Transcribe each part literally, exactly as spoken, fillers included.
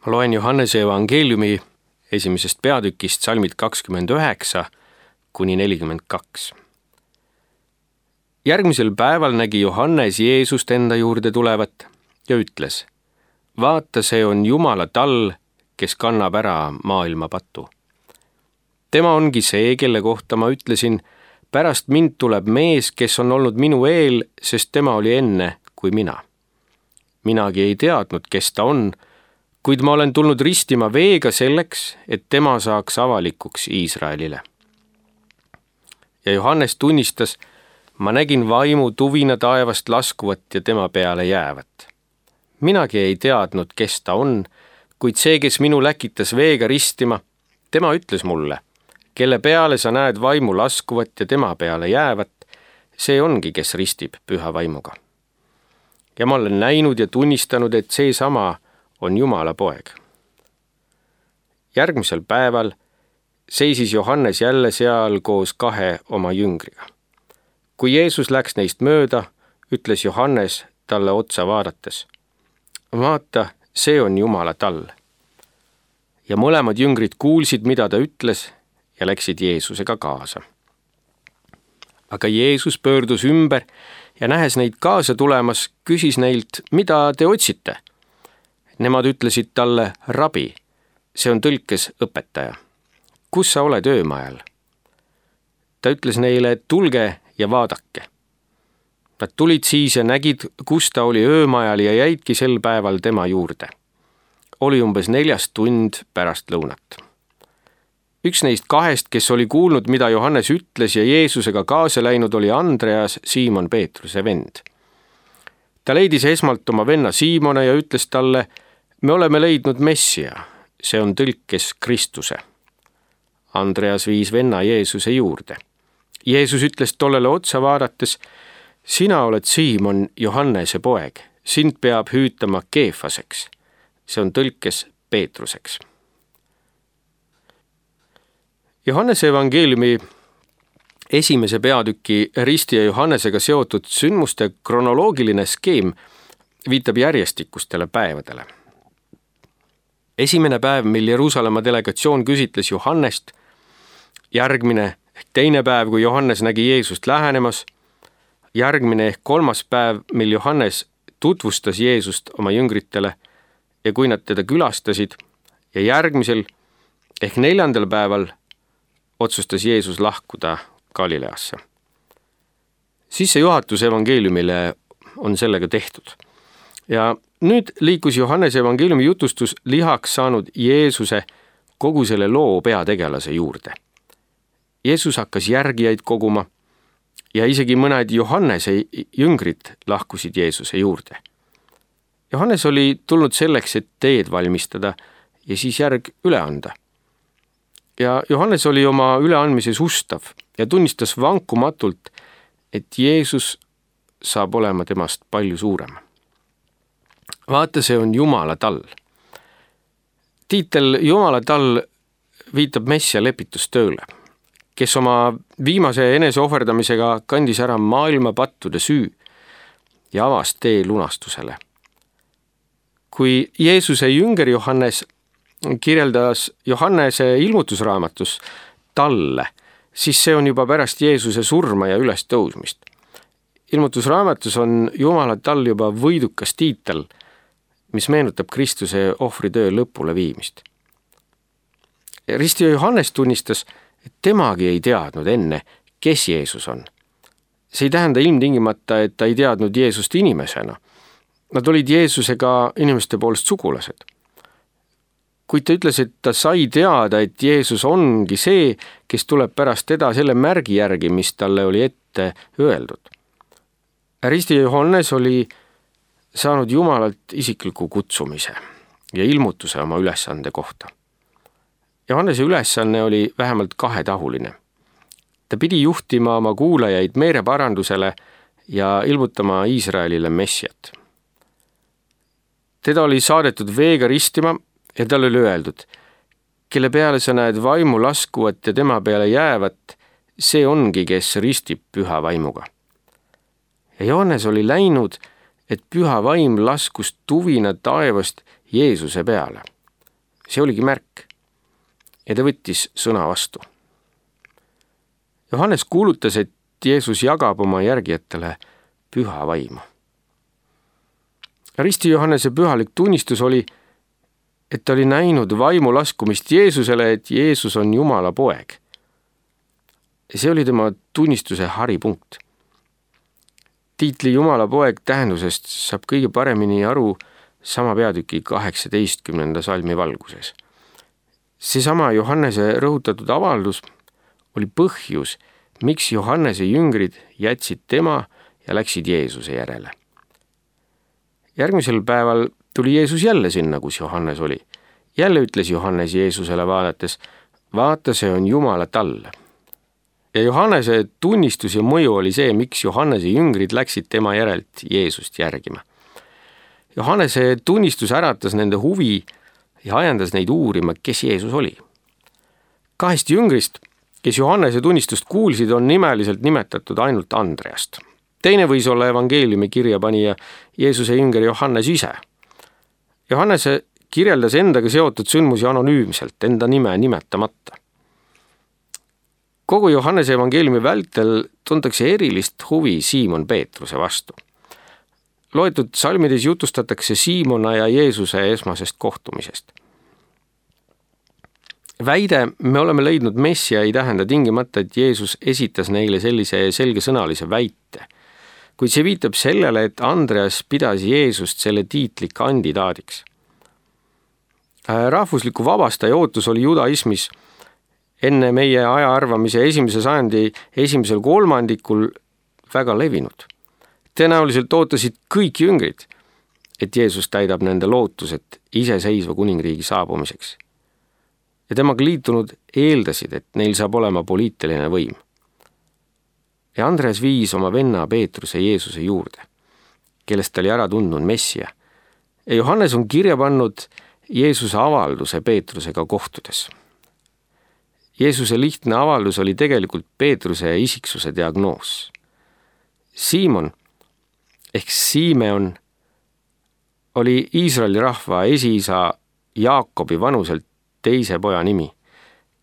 Ma loen Johannese evangeeliumi esimesest peatükist salmid kakskümmend üheksa kuni nelikümmend kaks. Järgmisel päeval nägi Johannes Jeesust enda juurde tulevat ja ütles: vaata, see on Jumala tall, kes kannab ära maailma patu. Tema ongi see, kelle kohta ma ütlesin: pärast mind tuleb mees, kes on olnud minu eel, sest tema oli enne kui mina. Minagi ei teadnud, kes ta on, kuid ma olen tulnud ristima veega selleks, et tema saaks avalikuks Iisraelile. Ja Johannes tunnistas: ma nägin vaimu tuvina taevast laskuvat ja tema peale jäävat. Minagi ei teadnud, kes ta on, kuid see, kes minu läkitas veega ristima, tema ütles mulle: kelle peale sa näed vaimu laskuvat ja tema peale jäävat, see ongi, kes ristib püha vaimuga. Ja ma olen näinud ja tunnistanud, et see sama on Jumala poeg. Järgmisel päeval seisis Johannes jälle seal koos kahe oma jüngriga. Kui Jeesus läks neist mööda, ütles Johannes talle otsa vaadates: vaata, see on Jumala tall. Ja mõlemad jüngrid kuulsid, mida ta ütles, ja läksid Jeesusega kaasa. Aga Jeesus pöördus ümber ja nähes neid kaasa tulemas, küsis neilt: mida te otsite? Nemad ütlesid talle: rabi, see on tõlkes õpetaja. Kus sa oled öömajal? Ta ütles neile: tulge ja vaadake. Nad tulid siis ja nägid, kus ta oli öömajal, ja jäidki sel päeval tema juurde. Oli umbes neljas tund pärast lõunat. Üks neist kahest, kes oli kuulnud, mida Johannes ütles ja Jeesusega kaasa läinud, oli Andreas, Siimon Peetruse vend. Ta leidis esmalt oma venna Siimone ja ütles talle: me oleme leidnud Messia, see on tõlkes Kristuse. Andreas viis venna Jeesuse juurde. Jeesus ütles tollele otsa vaadates: sina oled Siimon, Johannese poeg, sind peab hüütama Keefaseks, see on tõlkes Peetruseks. Johannese evangeeliumi esimese peatüki risti ja Johannesega seotud sündmuste kronoloogiline skeem viitab järjestikustele päevadele. Esimene päev, mil Jeruusalemma delegatsioon küsitles Johannest, järgmine ehk teine päev, kui Johannes nägi Jeesust lähenemas, järgmine ehk kolmas päev, mil Johannes tutvustas Jeesust oma jüngritele ja kui nad teda külastasid, ja järgmisel ehk neljandal päeval otsustas Jeesus lahkuda Galileasse. Sissejuhatus evangeeliumile on sellega tehtud. Ja nüüd liikus Johannese evangeeliumi jutustus lihaks saanud Jeesuse kogu selle loo peategelase juurde. Jeesus hakkas järgijaid koguma ja isegi mõned Johannese jüngrid lahkusid Jeesuse juurde. Johannes oli tulnud selleks, et teed valmistada ja siis järg üle anda. Ja Johannes oli oma üleandmises ustav ja tunnistas vankumatult, et Jeesus saab olema temast palju suurem. Vaata, see on Jumala tall. Tiitel Jumala tall viitab Messia lepitustööle, kes oma viimase eneseohverdamisega kandis ära maailma pattude süü ja avas tee lunastusele. Kui Jeesuse jünger Johannes kirjeldas Johannese ilmutusraamatus talle, siis see on juba pärast Jeesuse surma ja ülestõusmist. Ilmutusraamatus on Jumala tall juba võidukas tiitel, mis meenutab Kristuse ohvritöö lõpule viimist. Risti Johannes tunnistas, et temagi ei teadnud enne, kes Jeesus on. See ei tähenda ilmtingimata, et ta ei teadnud Jeesust inimesena. Nad olid Jeesusega inimeste poolest sugulased. Kuid ta ütles, et ta sai teada, et Jeesus ongi see, kes tuleb pärast teda selle märgi järgi, mis talle oli ette öeldud. Risti Johannes oli saanud Jumalalt isikliku kutsumise ja ilmutuse oma ülesande kohta. Johannese ülesanne oli vähemalt kahetahuline. Ta pidi juhtima oma kuulajaid meeleparandusele ja ilmutama Iisraelile Messiat. Teda oli saadetud veega ristima ja tal oli öeldud: kelle peale sa näed vaimu laskuvat ja tema peale jäävat, see ongi, kes ristib püha vaimuga. Ja Johannes oli läinud, et püha vaim laskus tuvina taevast Jeesuse peale. see oligi märk ja ta võttis sõna vastu. Johannes kuulutas, et Jeesus jagab oma järgijatele püha vaimu. Risti Johannese pühalik tunnistus oli, et ta oli näinud vaimu laskumist Jeesusele, et Jeesus on Jumala poeg. See oli tema tunnistuse haripunkt. Tiitli Jumala poeg tähendusest saab kõige paremini aru sama peatüki kaheksateistkümnenda salmi valguses. Seesama Johannese rõhutatud avaldus oli põhjus, miks Johannese jüngrid jätsid tema ja läksid Jeesuse järele. Järgmisel päeval tuli Jeesus jälle sinna, kus Johannes oli. Jälle ütles Johannes Jeesusele vaadates, vaata, see on Jumala tall. Ja Johannese tunnistus ja mõju oli see, miks Johannese jüngrid läksid tema järelt Jeesust järgima. Johannese tunnistus äratas nende huvi ja ajendas neid uurima, kes Jeesus oli. Kahest jüngrist, kes Johannese tunnistust kuulsid, on nimeliselt nimetatud ainult Andreast. Teine võis olla evangeeliumi kirjapanija Jeesuse jünger Johannes ise. Johannese kirjeldas endaga seotud sündmusi anonüümselt, enda nime nimetamata. Kogu Johannese evangeeliumi vältel tuntakse erilist huvi Siimon Peetruse vastu. Loetud salmides jutustatakse Siimona ja Jeesuse esmasest kohtumisest. Väide, me oleme leidnud Messia, ei tähenda tingimata, et Jeesus esitas neile sellise selgesõnalise väite, kuid see viitab sellele, et Andreas pidas Jeesust selle tiitli kandidaadiks. Rahvusliku vabastaja ootus oli judaismis enne meie aja arvamise esimese sajandi esimesel kolmandikul väga levinud. Tõenäoliselt ootasid kõik jüngrid, et Jeesus täidab nende lootused iseseisva kuningriigi saabumiseks. Ja temaga liitunud eeldasid, et neil saab olema poliitiline võim. Ja Andreas viis oma venna Peetruse Jeesuse juurde, kellest ta oli ära tundnud Messia. Ja Johannes on kirja pannud Jeesuse avalduse Peetrusega kohtudes. Jeesuse lihtne avaldus oli tegelikult Peetruse isiksuse diagnoos. Siimon ehk Simeon oli Iisraeli rahva esiisa Jaakobi vanuselt teise poja nimi,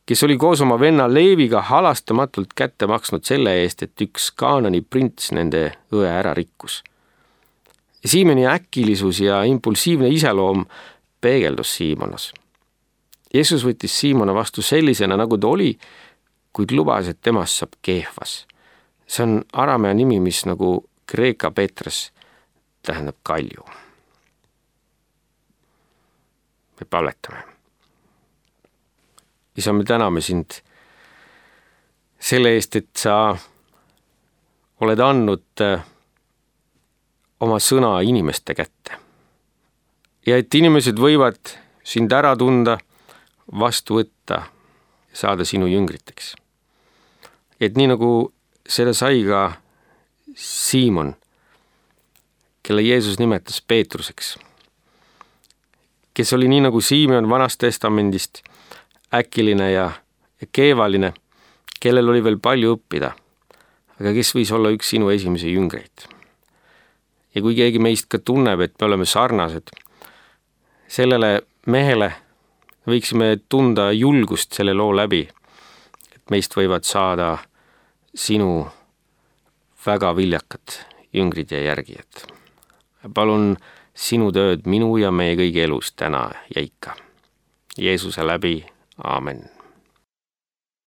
kes oli koos oma venna Leeviga halastamatult kätte maksnud selle eest, et üks Kaanani prints nende õe ära rikkus. Siimeni äkilisus ja impulsiivne iseloom peegeldus Siimonas. Jeesus võttis Siimona vastu sellisena, nagu ta oli, kuid lubas, et temast saab Keefas. See on aramea nimi, mis nagu Kreeka Petres tähendab kalju. Me palvetame. Isa, me täname sind selle eest, et sa oled andnud oma sõna inimeste kätte. Ja et inimesed võivad sind ära tunda, vastu võtta ja saada sinu jüngriteks. Et nii nagu seda sai ka Siimon, kelle Jeesus nimetas Peetruseks, kes oli nii nagu Simeon Vanast testamendist äkiline ja keevaline, kellel oli veel palju õppida, aga kes võis olla üks sinu esimese jüngreid. Ja kui keegi meist ka tunneb, et me oleme sarnased, sellele mehele võiksime tunda julgust selle loo läbi, et meist võivad saada sinu väga viljakad jüngrid ja järgijad. Palun sinu tööd minu ja meie kõigi elus täna ja ikka. Jeesuse läbi. Aamen.